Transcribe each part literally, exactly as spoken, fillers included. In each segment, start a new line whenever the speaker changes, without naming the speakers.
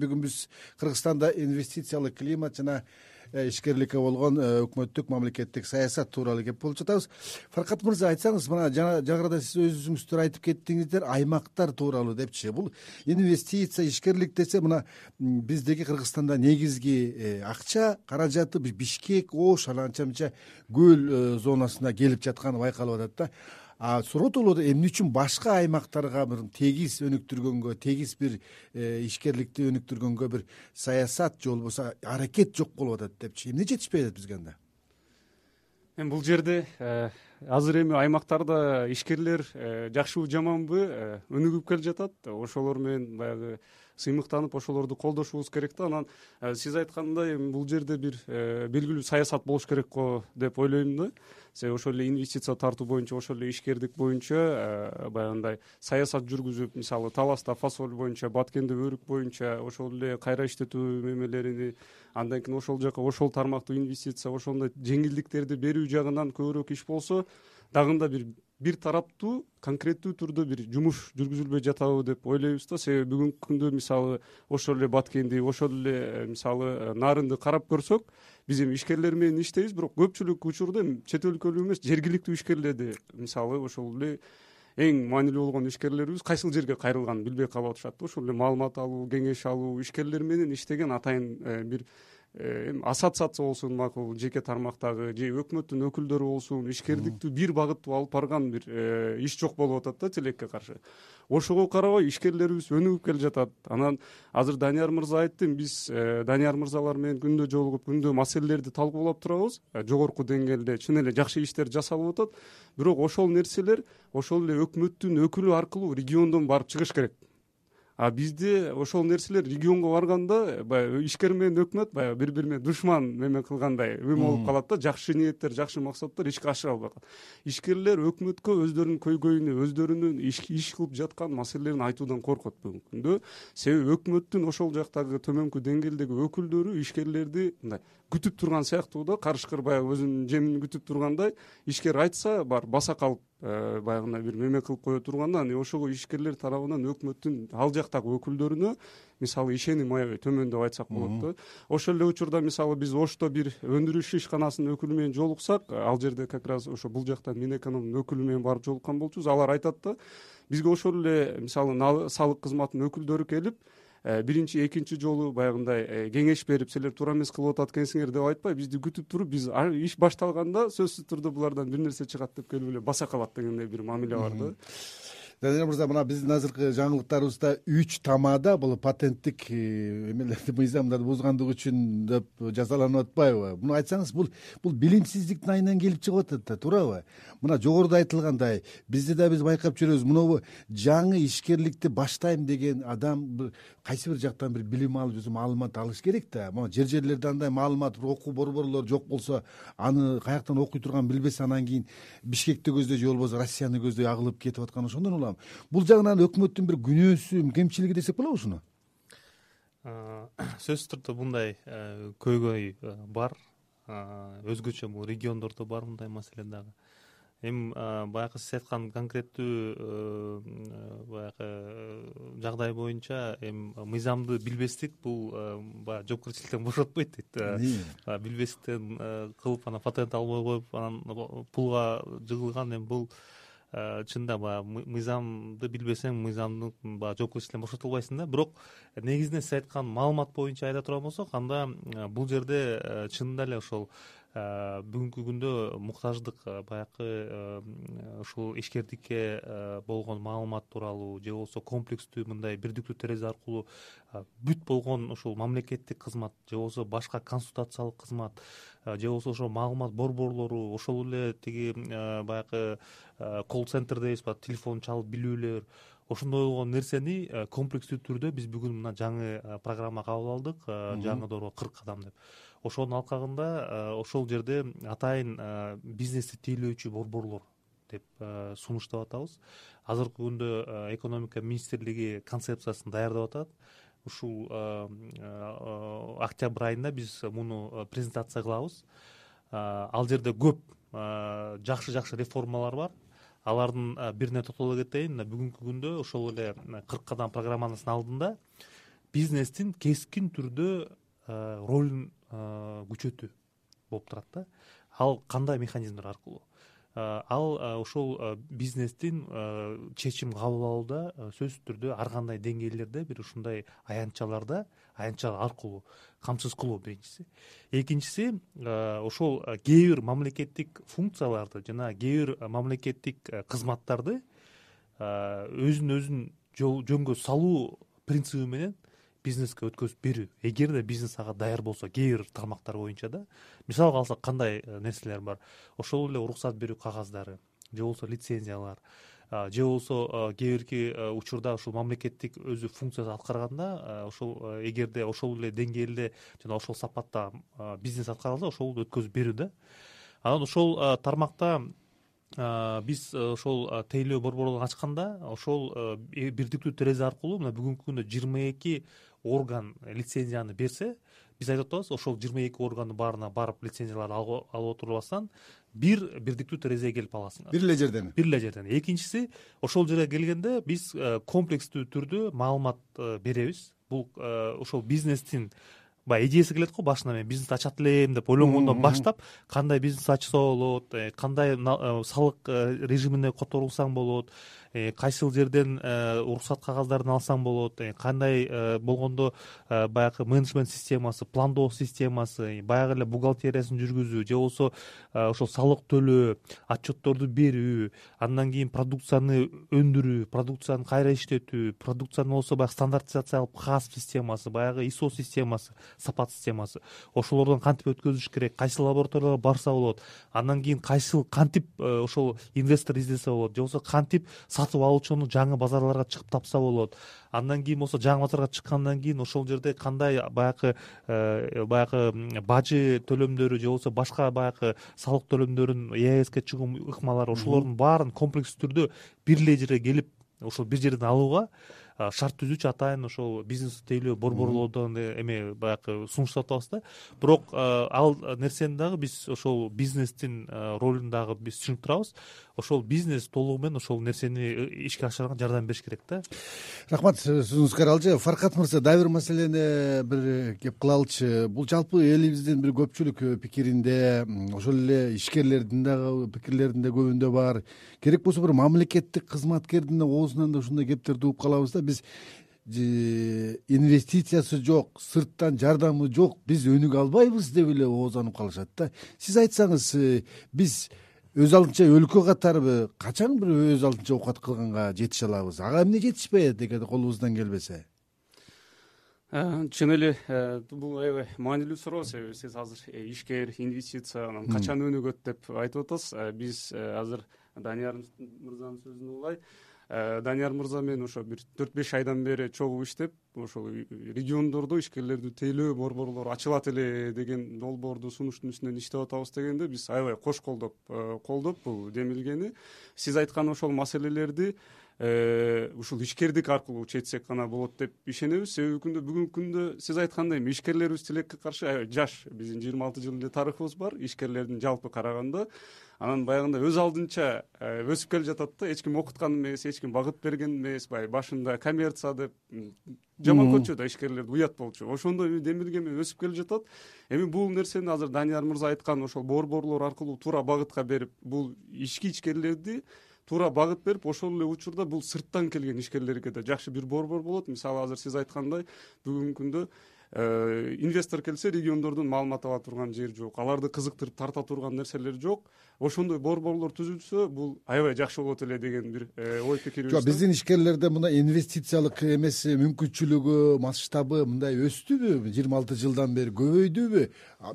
Бүгүн биз Кыргызстанда инвестициялык климат жана ишкерликке болгон өкмөттүк мамлекеттик саясат тууралуу кеп болуп жатабыз. Фаркат мырза, айтсаңыз, мына жагырда сиз өзүңүздөр айтып кеттиңиздер, аймактар тууралуу депчи. Бул инвестиция, ишкерлик десе, мына биздеги Кыргызстанда негизги акча каражаты Бишкек, Ош, анча мынча көл зонасына келип жатканы байкалып атат да. А суроо эмне үчүн башка аймактарга бир тегиз өнүктүргөнгө, тегиз бир ишкерликти өнүктүргөнгө бир саясат же болбосо аракет жок болуп атат депчи. Эмне жетишпей атат бизге анда?
Эми бул жерде азыр эми аймактарда ишкерлер жакшыбы жаманбы өнүгүп келе жатат. Ошолор менен баягы сыймыктанып ошолорду колдошубуз керек да. Анан сиз айткандай бул жерде бир белгилүү саясат болуш керек го деп ойлойм да. Себеби ошол эле инвестиция тартуу боюнча, ошол эле ишкердик боюнча баягындай саясат жүргүзүп, мисалы Таласта фасоль боюнча, Баткенде өрүк боюнча ошол эле кайра иштетүү мемелерини, андан кийин ошол жака ошол тармактуу инвестиция, ошондой жеңилдиктерди берүү жагынан көбүрөөк иш болсо, дагында бир бир тараптуу конкреттүү түрдө бир жумуш жүргүзүлбөй жатабы деп ойлойбуз да. Себеби бүгүнкү күндө мисалы ошол эле Баткенди, ошол эле мисалы Нарынды карап көрсөк, биз эми ишкерлер менен иштейбиз, бирок көпчүлүк учурда эми чет өлкөлүк эмес, жергиликтүү ишкерлерди, мисалы ошол эле эң маанилүү болгон ишкерлерибиз кайсыл жерге кайрылганын билбей калып атышат да. Ошол эле маалымат алуу, кеңеш алуу, ишкерлер менен иштеген атайын бир эми ассоциация болсун макул, жеке тармактагы же өкмөттүн өкүлдөрү болсун, ишкердиктүү бир багыттуу алып барган бир иш жок болуп атат да тилекке каршы. Ошого карабай ишкерлерибиз өнүгүп келе жатат. Анан азыр Данияр мырза айтты, биз Данияр мырзалар менен күндө жолугуп, күндө маселелерди талкуулап турабыз. Жогорку деңгээлде чын эле жакшы иштер жасалып атат. Бирок ошол нерселер ошол эле өкмөттүн өкүлү аркылуу региондон барып чыгыш керек. А бизде ошол нерселер регионго барганда баягы ишкер менен өкмөт баягы бири-бири менен душман неме кылгандай үм болуп калат да. Жакшы ниеттер, жакшы максаттар ишке ашыра албай калат. Ишкерлер өкмөткө өздөрүнүн көйгөйүнү, өздөрүнүн иш кылып жаткан маселелерин айтуудан коркот бүгүнкү күндө. Себеби өкмөттүн ошол жактагы төмөнкү деңгээлдеги өкүлдөрү ишкерлерди мындай күтүп турган сыяктуу да, карышкыр баягы өзүнүн жемин күтүп тургандай. Ишкер айтса бар баса калып баягындай бир меме кылып кое турганда, аны ошого ишкерлер тарабынан өкмөттүн ал жактагы өкүлдөрүнө мисалы ишеним аябай төмөн деп айтсак болот да. Ошол эле учурда мисалы биз Ошто бир өндүрүш ишканасынын өкүлү менен жолуксак, ал жерде как раз ошо бул жактан Минэкономдун өкүлү менен барып жолуккан болчубуз. Алар айтат да, бизге ошол эле мисалы салык кызматынын өкүлдөрү келип, биринчи, экинчи жолу баягындай кеңеш берип, силер туура эмес кылып атат экенсиңер деп айтпай, бизди күтүп туруп, биз иш башталганда сөзсүз түрдө булардан бир нерсе чыгат деп келип эле баса калат дегендей бир мамиле бар да.
Данияр мырза, мына биздин азыркы жаңылыктарыбызда үч тамада бул патенттик эмелерди, мыйзамдарды бузгандыгы үчүн деп жазаланып атпайбы? Муну айтсаңыз, бул бул билимсиздиктин айынан келип чыгып атат да, туурабы? Мына жогоруда айтылгандай, бизде да биз байкап жүрөбүз, мынабу жаңы ишкерликти баштайм деген адам кайсы бир жактан бир билим алып жүрсө, маалымат алыш керек да. Могу жер жерлерде андай маалымат, окуу борборлор жок болсо, аны каяктан окуй турганын билбесе, анан кийин Бишкекти көздөй же болбосо Россияны көздөй агылып кетип аткан ошондон улам. Бул жагынан өкмөттүн бир күнөөсү, кемчилиги десек болобу ушуну?
Сөзсүз түрдө мындай көйгөй бар. Өзгөчө бул региондордо бар мындай маселе дагы. Эми баягы сиз айткан конкреттүү баягы жагдай боюнча эми мыйзамды билбестик бул баягы жоопкерчиликтен бошотпойт дейт. Билбестиктен кылып анан патент албай коюп, анан пулга жыгылган, эми бул чында баягы мыйзамды билбесең, мыйзамдын баягы жоопкерчиликтен бошотулбайсың да. Бирок негизинен сиз айткан маалымат боюнча айта турган болсок, анда бул жерде чынында эле ошол бүгүнкү күндө муктаждык баягы ушул ишкердикке болгон маалымат тууралуу же болбосо комплекстүү мындай бирдиктүү терезе аркылуу бүт болгон ушул мамлекеттик кызмат же болбосо башка консультациялык кызмат же болбосо ошол маалымат борборлору, ошол эле тиги баягы колл-центр дейбиз, телефон чалып билүүлөр, ошондой болгон нерсени комплекстүү түрдө биз бүгүн мына жаңы программа кабыл алдык, жаңы доорго кырк кадам деп. Ошонун алкагында ошол жерде атайын бизнести тейлөөчү борборлор деп сунуштап атабыз. Азыркы күндө экономика министрлиги концепциясын даярдап атат. Ушул октябрь айында биз муну презентация кылабыз. Ал жерде көп жакшы-жакшы реформалар бар. Алардын бирине токтоло кетейин. Бүгүнкү күндө ошол эле кырк кадам программасынын алдында бизнестин кескин түрдө ролун күчөтүү болуп турат да. Ал кандай механизмдер аркылуу? Ал ошол бизнестин чечим кабыл алууда сөзсүз түрдө ар кандай деңгээлдерде бир ушундай аянтчаларда аянтчалар аркылуу камсыз кылуу биринчиси. Экинчиси ошол кээ бир мамлекеттик функцияларды жана кээ бир мамлекеттик кызматтарды өзүн өзүн жөнгө салуу принциби менен бизнеске өткөзүп берүү. Эгерде бизнес ага даяр болсо, кээ бир тармактар боюнча да. Мисалга алсак кандай нерселер бар? Ошол эле уруксат берүү кагаздары, же болбосо лицензиялар, же болбосо кээ бирки учурда ушул мамлекеттик өзү функциясын аткарганда, ошол эгерде ошол эле деңгээлде жана ошол сапатта бизнес аткарылса, ошол өткөзүп берүү да. Анан ошол тармакта биз ошол тейлөө борборлорун ачканда, ошол бирдиктүү терезе аркылуу мына бүгүнкү күндө жыйырма эки орган лицензияны берсе, биз айтып атабыз, ошол жыйырма эки органдын баарына барып лицензияларды алып отурбастан бир бирдиктүү терезеге келип аласыңар.
Бир эле жерден.
Бир эле жерден. Экинчиси, ошол жерге келгенде биз комплекстүү түрдө маалымат беребиз. Бул ошол бизнестин баягы идеясы келет го, башына мен бизнес ачат элем деп ойлонгондон баштап, кандай бизнес ачса болот, кандай салык режимине которулсаң болот, кайсыл жерден уруксат кагаздарын алсаң болот, кандай болгондо баягы менеджмент системасы, пландоо системасы, баягы эле бухгалтериясын жүргүзүү, же болбосо ошол салык төлөө, отчетторду берүү, андан кийин продукцияны өндүрүү, продукцияны кайра иштетүү, продукцияны болсо баягы стандартизациялык касп системасы, баягы исо системасы, сапат системасы. Ошолордон кантип өткөзүш керек, кайсы лабораторияга барса болот, андан кийин кайсыл кантип ошол инвестор издесе болот, же болбосо кантип сатып алуучуну жаңы базарларга чыгып тапса болот. Андан кийин болсо жаңы базарга чыккандан кийин ошол жерде кандай баягы баягы бажы төлөмдөрү, же болбосо башка баягы салык төлөмдөрүн ЭАЭСке чыгуу ыкмалары, ошолордун баарын комплекстүү түрдө бир эле жерге келип, ошол бир жерден алууга шарт түзүүчү атайын ошол бизнес тейлөө борборлордон эме баягы сунуштап атабыз да. Бирок ал нерсени дагы биз ошол бизнестин ролун дагы биз түшүнүп турабыз. Ошол бизнес толугу менен ошол нерсени ишке ашырганга жардам бериш керек да.
Рахмат, сөзүңүзгө каралчы. Фаркат мырза, дагы бир маселени бир кеп кылалычы. Бул жалпы элибиздин бир көпчүлүк пикиринде, ошол эле ишкерлердин дагы пикирлеринде көбүндө бар. Керек болсо бир мамлекеттик кызматкердин оозунан да ушундай кептерди угуп калабыз да. Биз инвестициясы жок, сырттан жардамы жок, биз өнүгө албайбыз деп эле оозданып калышат да. Сиз айтсаңыз, биз өз алдынча өлкө катары качан бир өз алдынча оокат кылганга жетише алабыз? Ага эмне жетишпейт эгер колубуздан келбесе?
Чын эле бул аябай маанилүү суроо, себеби сиз азыр ишкер, инвестиция, анан качан өнүгөт деп айтып атасыз. Биз азыр Данияр мырзанын сөзүн улай, Данияр мырза менен ошо бир төрт беш айдан бери чогуу иштеп, ошол региондордо ишкерлерди тейлөө борборлору ачылат эле деген долбоорду сунуштун үстүнөн иштеп атабыз дегенде биз аябай кош колдоп колдоп бул демилгени. Сиз айткан ошол маселелерди ушул ишкердик аркылуу чечсек гана болот деп ишенебиз. Себеби бүгүнкү күндө сиз айткандай ишкерлерибиз тилекке каршы аябай жаш. Биздин жыйырма алты жыл эле тарыхыбыз бар ишкерлердин жалпы караганда. Анан баягында өз алдынча өсүп келе жатат да, эч ким окуткан эмес, эч ким багыт берген эмес, баягы башында коммерция деп жаман көрчү да ишкерлерди, уят болчу. Ошондой демилге менен өсүп келе жатат. Эми бул нерсени азыр Данияр мырза айткан ошол борборлор аркылуу туура багытка берип, бул ички ишкерлерди туура багыт берип, ошол эле учурда бул сырттан келген ишкерлерге да жакшы бир борбор болот. Мисалы азыр сиз айткандай бүгүнкү күндө инвестор келсе, региондордон маалымат ала турган жер жок, аларды кызыктырып тарта турган нерселер жок. Ошондой борборлор түзүлсө, бул аябай жакшы болот эле деген бир ой пикирибиз.
Жок, биздин ишкерлерде мына инвестициялык эмеси, мүмкүнчүлүгү, масштабы мындай өстүбү? жыйырма алты жылдан бери көбөйдүбү?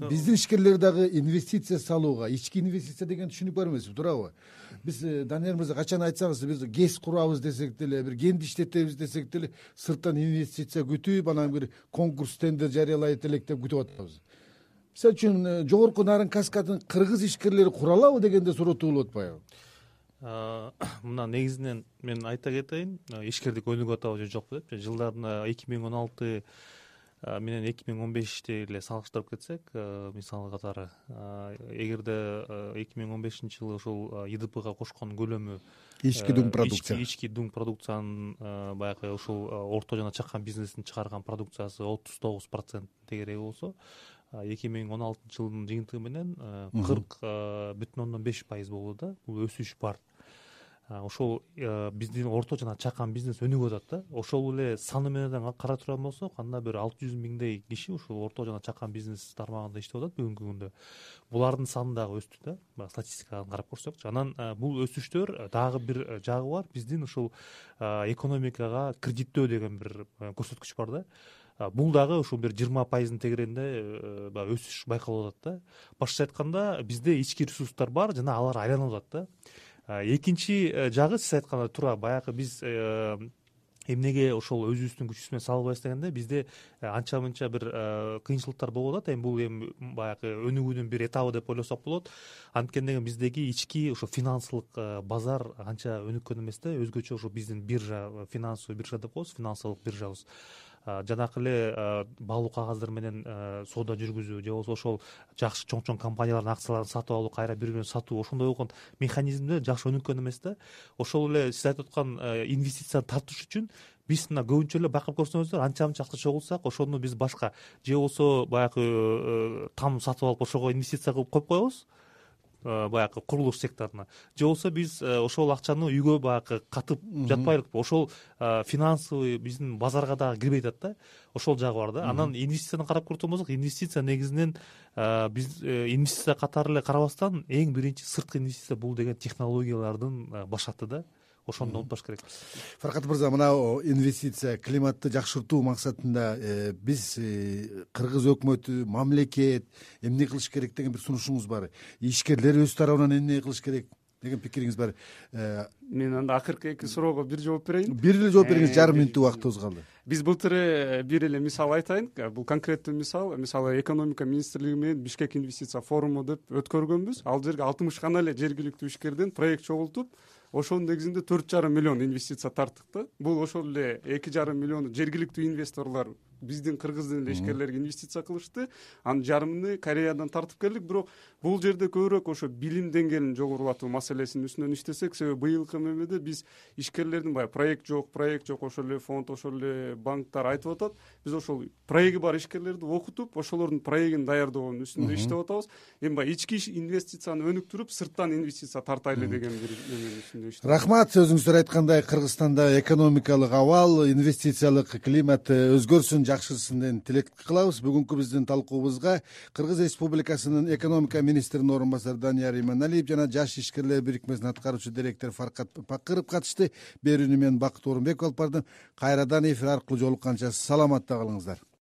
Биздин ишкерлер дагы инвестиция салууга, ички инвестиция деген түшүнүк бар эмеспи, туурабы? Биз Данияр мырза качан айтсаңыз, биз гез курабыз десек деле, бир кенди иштетебиз десек деле, сырттан инвестиция күтүп, анан бир конкурс тендер жарыялайт элек деп күтүп атабыз. Мисалы үчүн жогорку нарын каскадын кыргыз ишкерлери куралабы дегенде суроо туулуп атпайбы?
Мына негизинен мен айта кетейин, ишкердик өнүгүп атабы же жокпу деп. Жылдарын эки миң он алты менен эки миң он бешти эле салыштырып кетсек, мисалы катары эгерде эки миң он бешинчи жылы ушул и д пга кошкон көлөмү
ички дуң продукция
ички дуң продукциянын баягы ушул орто жана чакан бизнестин чыгарган продукциясы отуз тогуз процент тегереги болсо, эки миң он алтынчы жылдын жыйынтыгы менен кырк бүтүн ондон беш пайыз болду да. Бул өсүш бар. Ошол биздин орто жана чакан бизнес өнүгүп атат да. Ошол эле саны менен карай турган болсок, анда бир алты жүз миңдей киши ушул орто жана чакан бизнес тармагында иштеп атат бүгүнкү күндө. Булардын саны дагы өстү да, баягы статистикага карап көрсөкчү. Анан бул өсүштөр дагы бир жагы бар, биздин ушул экономикага кредиттөө деген бир көрсөткүч бар да. Бул дагы ушул бир жыйырма пайыздын тегерегинде баягы өсүш байкалып атат да. Башкача айтканда, бизде ички ресурстар бар жана алар айланып атат да. Экинчи жагы, сиз айткандай туура, баягы биз эмнеге ошол өзүбүздүн күчүбүз менен салбайбыз дегенде, бизде анча мынча бир кыйынчылыктар болуп атат. Эми бул эми баягы өнүгүүнүн бир этабы деп ойлосок болот. Анткени биздеги ички ошо финансылык базар анча өнүккөн эмес да. Өзгөчө ошо биздин биржа, финансовый биржа деп коебуз, финансылык биржабыз. Жанакы эле баалуу кагаздар менен соода жүргүзүү же болбосо ошол жакшы чоң чоң компаниялардын акцияларын сатып алуу, кайра бири бирин сатуу, ошондой болгон механизмдер жакшы өнүккөн эмес да. Ошол эле сиз айтып аткан инвестицияны тартыш үчүн биз мына көбүнчө эле байкап көрсөңүздөр, анча мынча акча чогултсак, ошону биз башка же болбосо баягы там сатып алып ошого инвестиция кылып коюп коебуз, баягы курулуш секторуна. Же болбосо биз ошол акчаны үйгө баягы катып жатпайлык. Ошол финансовый биздин базарга дагы кирбей атат да. Ошол жагы бар да. Анан инвестицияны карап көрсөк болсок, инвестиция негизинен биз инвестиция катары эле карабастан, эң биринчи сырткы инвестиция бул деген технологиялардын башаты да. Ошону унутпаш керекпиз.
Фаркат мырза, мына инвестиция климатты жакшыртуу максатында биз кыргыз өкмөтү, мамлекет эмне кылыш керек деген бир сунушуңуз бар. Ишкерлер өз тарабынан эмне кылыш керек деген пикириңиз бар.
Мен анда акыркы эки суроого бир жооп берейин.
Бир эле жооп бериңиз, жарым мүнөттүк убактыбыз калды.
Биз былтыр бир эле мисал айтайын. Бул конкреттүү мисал. Мисалы экономика министрлиги менен Бишкек инвестиция форуму деп өткөргөнбүз. Ал жерге алтымыш гана эле жергиликтүү ишкерден проект чогултуп, ошонун негизинде төрт жарым миллион инвестиция тарттык да. Бул ошол эле эки жарым миллион жергиликтүү инвесторлор биздин кыргыздын эле ишкерлерге инвестиция кылышты. Анын жарымын Кореядан тартып келдик. Бирок бул жерде көбүрөөк ошо билим деңгээлин жогорулатуу маселесинин үстүнөн иштесек, себеби быйылкы мемеде биз ишкерлердин баягы проект жок, проект жок, ошол эле фонд, ошол эле банктар айтып атат. Биз ошол проекти бар ишкерлерди окутуп, ошолордун проектин даярдоонун үстүндө иштеп атабыз. Эми баягы ички инвестицияны өнүктүрүп, сырттан инвестиция тартайлы деген бир неменин үстүндө иштеп.
Рахмат. Өзүңүздөр айткандай, Кыргызстанда экономикалык абал, инвестициялык климат өзгөрсүн, жакшырсын деп тилек кылабыз. Бүгүнкү биздин талкуубузга Кыргыз Республикасынын экономика министринин орун басары Данияр Иманалиев жана Жаш ишкерлер бирикмесинин аткаруучу директору Фаркат Пакыров катышты. Берүүнү мен Бакыт Орунбеков алып бардым. Кайрадан эфир аркылуу жолукканча саламатта калыңыздар.